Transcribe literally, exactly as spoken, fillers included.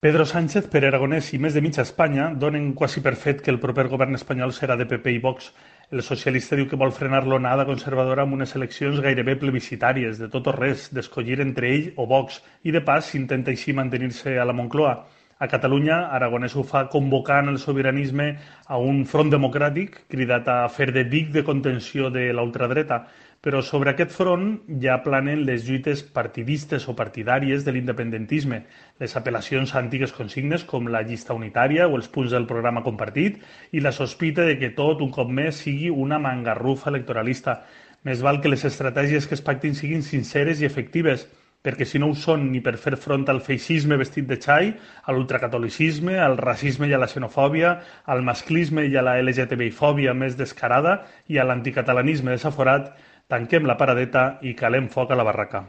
Pedro Sánchez, Pere Aragonès i més de mitja Espanya donen quasi per fet que el proper govern espanyol serà de P P i Vox. El socialista diu que vol frenar l'onada conservadora amb unes eleccions gairebé plebiscitàries, de tot o res, d'escollir entre ell o Vox, i de pas s'intenta així mantenir-se a la Moncloa. A Catalunya, Aragonès ho fa convocant el sobiranisme a un front democràtic cridat a fer de dic de contenció de la ultradreta. Però sobre aquest front ja planen les lluites partidistes o partidàries de l'independentisme, les apel·lacions a antigues consignes com la llista unitària o els punts del programa compartit i la sospita de que tot un cop més sigui una mangarrufa electoralista. Més val que les estratègies que es pactin siguin sinceres i efectives, perquè si no ho són ni per fer front al feixisme vestit de xai, a l'ultracatolicisme, al racisme i a la xenofòbia, al masclisme i a la L G T B I fòbia més descarada i a l'anticatalanisme desaforat, tanquem la paradeta i calem foc a la barraca.